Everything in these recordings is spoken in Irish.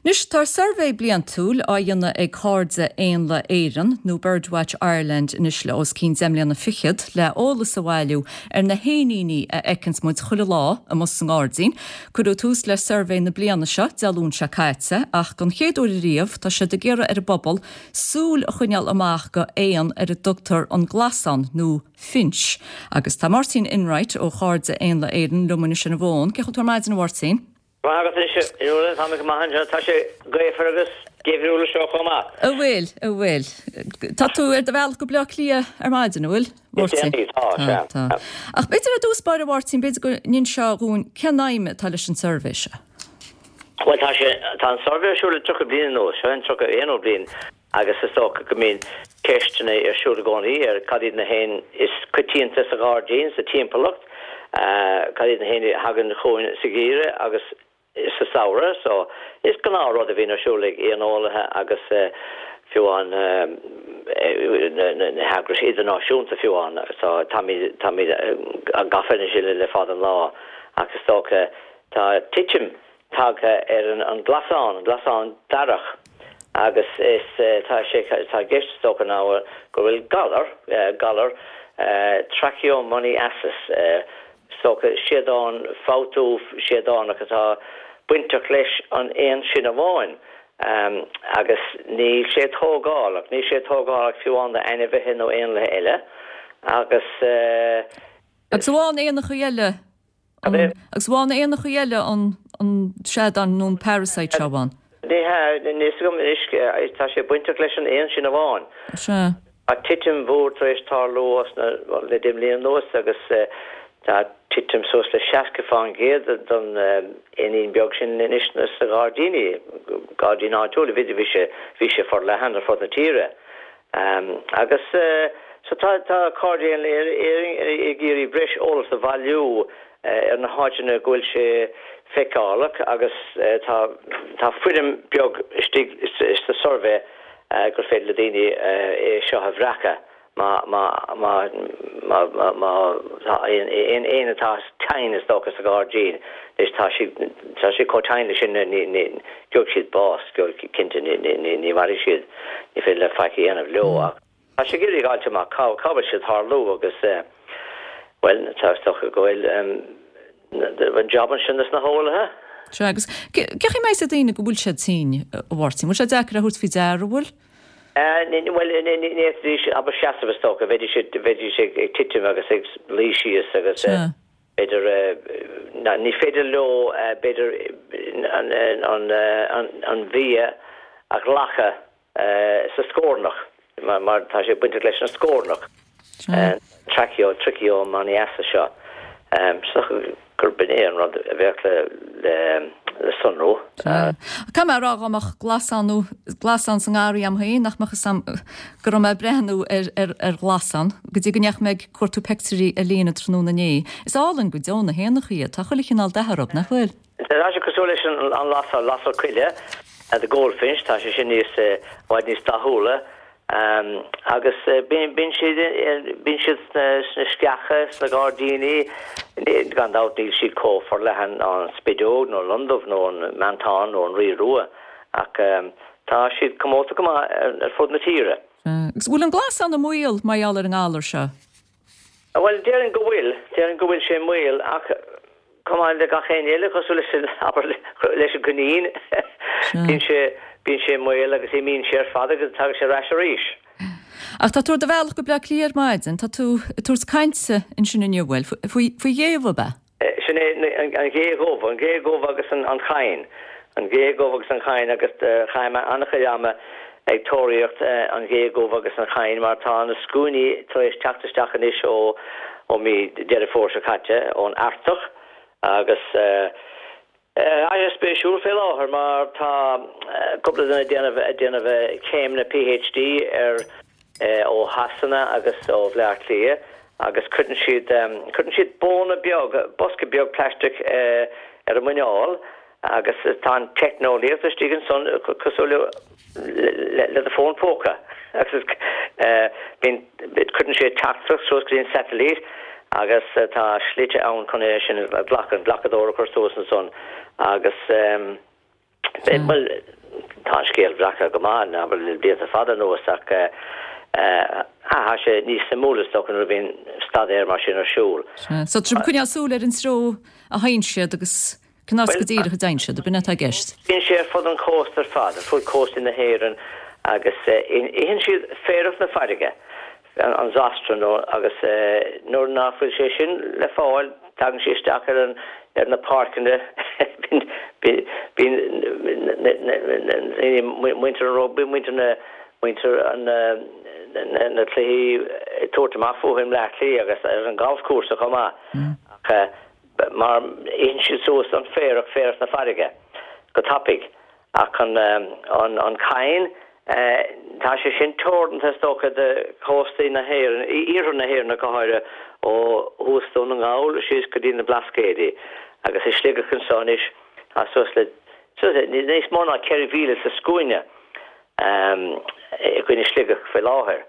Anois, tá suirbhé bliantúil á dhéanamh ag Cairde Éanlaith Éireann, nó Birdwatch Ireland anois le os cionn deich mbliana fichead, le eolas a bhailiú ar na héiníní a fheiceanns muid chuile lá amuigh sa ngairdín. Cuireadh tús le suirbhé na bliana seo Dé Luain seo caite, ach don chéad uair ariamh tá siad ag iarraidh ar an bpobal súil a choinneáil amach go éan ar a dtugtar an glasán nó finch. Agus tá Máirtín Enright ó Chairde Éanlaith Éireann liom anois ar an bhfón. Cén chaoi a bhfuil tú ar maidin a Mháirtín? Maith agat anois, a Fhionnuala, tá mé go maith anseo. Tá sé gaofar agus geimhriúil anseo chomh maith. An bhfuil, an bhfuil. Tá tú ar do bhealach go Bleá Cliath ar maidin, an bhfuil, a Mháirtín? Is déanaí, tá, sea. Tá, tá. Ach b'fhéidir ar dtús báire, a Mháirtín, b'fhéidir go n-inseofá dhúinn cén aidhm atá leis an suirbhé seo? Bhuel, tá sé, tá an suirbhé ar siúl le 30 bliain anuas, seo an 31ú bliain agus is dócha go mbíonn ceisteanna ar siúl i gcónaí ar cad iad na héin is coitianta sa ghairdín, sa timpeallacht, cad iad na héin a thagann chugainn sa gheimhreadh agus sa samhradh. So, is gnáthrud a bhíonn ar siúl ag éaneolaithe agus fiú amháin na heagrais idirnáisiúnta fiú amháin. So, táimid, táimid gafa anois le fada an lá ach is dócha tá titim tagtha ar an nglasán, an glasán darach, agus is tá sé, tá i gceist is dócha ná go bhfuil galar, galar trichomoniasis, is dócha seadán, fabhtú seadánach atá bainteach leis an éan sin amháin, agus níl sé tógálach, níl sé tógálach fiú amháin d'ainmhithe nó éanlaithe eile, agus. Agus amháin éanachaí eile Agus amháin éanachaí eile an an seadán nó an parasite seo amháin? Ní hea, níl fhios agam anois, tá sé bainteach leis an éan sin amháin. Sea. Tá titim mhór tar éis tarlú osna, bhuel, le deich mbliana anuas agus tá titim suas le 60% don éinín beag sin anois sna gairdíní, gairdíní áitiúla, bhí sé, bhí sé forleathan ar fud na tíre. Agus so tá tá Cairde Éanlaith Éireann ag iarraidh breis eolas a bhailiú ar na háiteanna go bhfuil sé feiceálach agus tá tá foirm beag istigh sa suirbhé gur féidir le daoine é seo a bhreacadh má má má má má má tá aon aon éan atá tinn is dócha sa ghairdín anois tá siad tá siad chomh tinn leis sin ní ní gheobhaidh siad bás cinnte ní ní ní mhairfidh siad. Ní féidir leat faic a dhéanamh leo ach tá sé ag iarraidh a fháilt amach cá cá bhfuil siad ag tarlú agus bhuel tá is dócha go bhfuil an job ansin dos na heolaithe. Sea, agus cén chaoi a mbeidh a fhios ag daoine go bhfuil siad tinn, a Mháirtín? Bhfuil sé deacair a thabhairt faoi deara, an bhfuil? Bhuel, ní fhéadfaidís abair seasamh is dócha, bheidís bheidís ag titim agus ag luí síos agus b'fhéidir ní féidir leo b'fhéidir an an an bia a ghlacadh sa scornach, mar tá sé bainteach leis an scornach, traicheo, trichomoniasis seo. Is dócha gurb in é an rud a bheadh le sonrú. Caithfidh mé a rá dá mbeadh glasán nó glasán sa ngarraí a'm féin nach mbeadh fhios a'm go raibh mé ag breathnú ar ar ghlasán go dtí go ndeachaigh mé ag cuartú peictiúirí ar líne tráthnóna inné. Is álainn go deo na héanachaí iad. Tá chuile chineál dath orthu, nach bhfuil? Tá sé cosúil leis an lasair, lasair coille, the goldfinch, tá sé sin níos, i bhfad níos dathúla agus bíonn siad, bíonn siad sna sceacha, sna gairdíní, gan dabht níl siad chomh forleathan ná an spideog nó an londubh nó an meantán nó an rí rua ach tá siad comónta go maith ar fud na tíre. Agus bhfuil an glasán i mbaol mar gheall ar an ngalar seo? Bhuel, déarfainn go bhfuil, déarfainn go bhfuil sé i mbaol ach chomh maith le gach éan eile, cosúil leis an, abair, leis an gcoinín, bíonn sé, bíonn sé i mbaol agus imíonn sé ar fad agus tagann sé ar ais arís. Ach tá tú ar do bhealach go Bleá Cliath ar maidin, tá tú ag tabhairt cainte ansin inniu, bhfuil, faoi, faoi ghéabha, ab ea? Sin é an ghé dhubh, an ghé dhubh agus an chadhain. An ghé dhubh agus an chadhain agus chaith mé an-chuid ama ag tóraíocht an ghé dhubh agus an chadhain mar tá na scuainí tar éis teacht isteach anois ó ó mí Deireadh Fómhair seo caite ón Artach agus Tá sé spéisiúil fé láthair mar tá cúpla duine ag déanamh ag déanamh céimeanna PhD ar ó Shasana agus ó Bhleá Cliath agus cuireann siad cuireann siad bóna beag, bosca beag plaisteach ar a muineál agus tá an teicneolaíocht istigh ansan cosúil le le do fón póca agus bíonn cuireann sé teachtaireacht suas go dtí an satailít agus tá slite ann chun é sin a ghlacadh, an glacadóir a chur suas ansan agus. Bhuel, tá an scéal breactha go maith, abair, le blianta fada anuas ach tá sé níos suimiúla is dócha nuair a bhíonn staidéar mar sin ar siúl. Sea. So tá sibh ag coinneáil súil ar an treo a théann siad agus cén áit go díreach a dtéann siad, ab in atá i gceist? Bíonn sé ar fud an chósta ar fad, ar fud cóstaí na hÉireann agus itheann siad féarach na farraige. an Zostera nó agus nuair ná fuil sé sin le fáil tagann sé isteach ar an ar na páirceanna bíonn muintir an rugbaí muintir na muintir an na cluichí ag tabhairt amach fúthu i mBleá Cliath agus ar an galfchúrsa chomh maith ach mar itheann siad suas an féarach féarach na farraige go tapaidh Ach an an cadhan, tá sé sin teoranta is dócha do chóstaí na hÉireann, iarthar na hÉireann ach go háirithe, ó thuas Dún na nGall síos go dtí na Blascaodaí. Agus i Sligeach anseo anois tá suas le, suas le, níos mó ná 4,000 sa scuaine againn i Sligeach faoi láthair.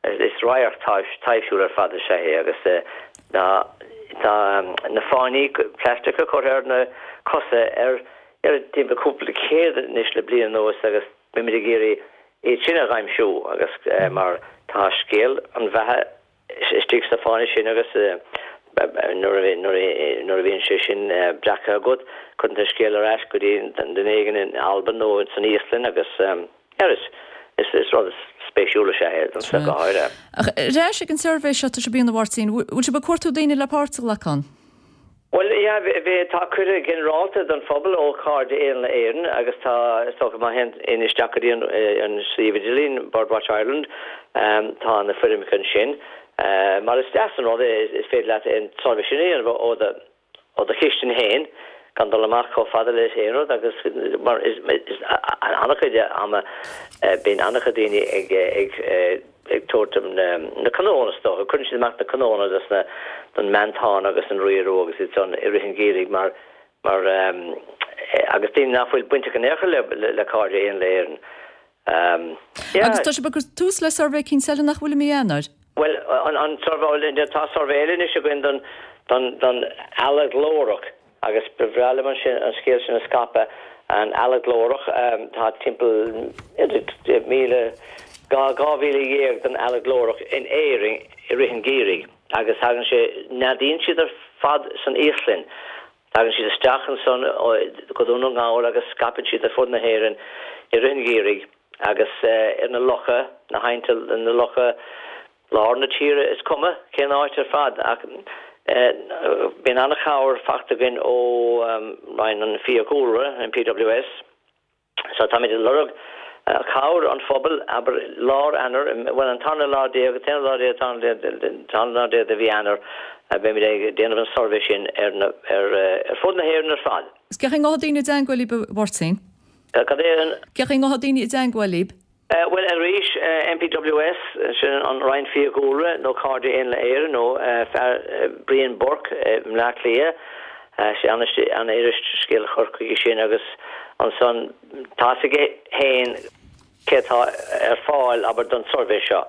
Is radharc taibhsiúil ar fad is ea é agus tá na fáinní plaisteacha curtha ar na cosa ar timpeall cúpla céad anois le bliain anuas agus beimid ag iarraidh iad sin a aimsiú agus mar tá scéal an bheatha istigh sna fáinní sin agus nuair a bhíonn sé sin breactha agat cuireann tú an scéal ar ais go dtí duine éigin in Albain nó san Íoslainn agus Is is rud spéisiúil is ea é, domsa go háirithe. Ach ar ais ag an suirbhé seo atá sibh a dhéanamh a Mháirtín, bhfuil sibh ag cuartú daoine le páirt a ghlacadh ann? Bhuel, yeah, bhí, tá cuireadh ginearálta don phobal ó Chairde Éanlaith Éireann agus tá, is dócha má théann éinne isteach go dtí an an suíomh idirlín, Birdwatch Ireland, tá na foirmeacha ansin. Mar is deas an rud é, is féidir leat an suirbhé sin a dhéanamh ó do ó do chistin féin, gan dul amach chomh fada le haon rud agus mar is an-chuid ama bíonn an-chuid daoine ag ag ag tabhairt na cnónna is dócha, cuireann siad amach na cnónna dos na don meantán agus an rua rua agus iad san i rith an gheimhridh mar mar agus daoine nach bhfuil bainteach in aon chor le le Cairde Éanlaith Éireann. Yeah. Agus tá sibh ag cur tús le suirbhé eicínt eile nach bhfuil i mí Eanáir? Bhuel, an suirbhé, tá suirbhé eile anois againn don, don, don eala ghlórach agus ba bhreá liom an sin, an scéal sin a scaipeadh, an eala ghlórach, tá timpeall 1,000, 12,000 den eala ghlórach in Éirinn i rith an gheimhridh agus tagann sé, neadaíonn siad ar fad san Íoslainn Tagann siad isteach ansan go Dún na nGall agus scaipeann siad ar fud na hÉireann i rith an gheimhridh agus ar na locha, na haibhnte, na locha lár na tíre, is cuma cén áit ar fad. Ach bíonn an-chabhair fachta againn ó Roinn an Fiadhúlra, an PWS. So táimid ag lorg cabhair an phobail, abair, lár Eanáir, bhuel an tarna lá déag, an t-aonú lá déag, tarna lá déag de mhí Eanáir, beimid ag déanamh an suirbhé sin ar na, ar, ar fud na hÉireann ar fad. Is cén chaoi a ngabhfaidh daoine i dteangmháil libh, a Mháirtín? Cad é an. Cén chaoi a ngabhfaidh daoine i dteangmháil libh? Bhuel, arís, NPWS, sin an Roinn Fiadhúlra, nó Cairde Éanlaith Éireann, nó fear Brian Burke i mBleá Cliath, sé an-fhuirist scéal a chur chuige sin agus ansan tá fhios aige féin cé atá ar fáil, abair, don suirbhé seo.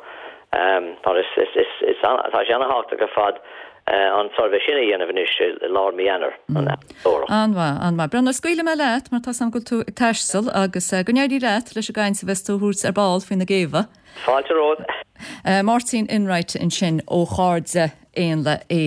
Mar is, is, tá sé an-thábhachtach ar fad an suirbhé sin a dhéanamh anois i lár mí Eanáir, an eorach. An-mhaith, an-mhaith. Breandán, scaoilfidh mé leat mar tá 's agam go bhfuil tú ag taisteal agus go n-éirí leat leis an gcaint a bheas tú a thabhairt ar ball faoi na géabha. Fáilte romhat. Máirtín Enright ansin ó Chairde Éanlaith Éireann.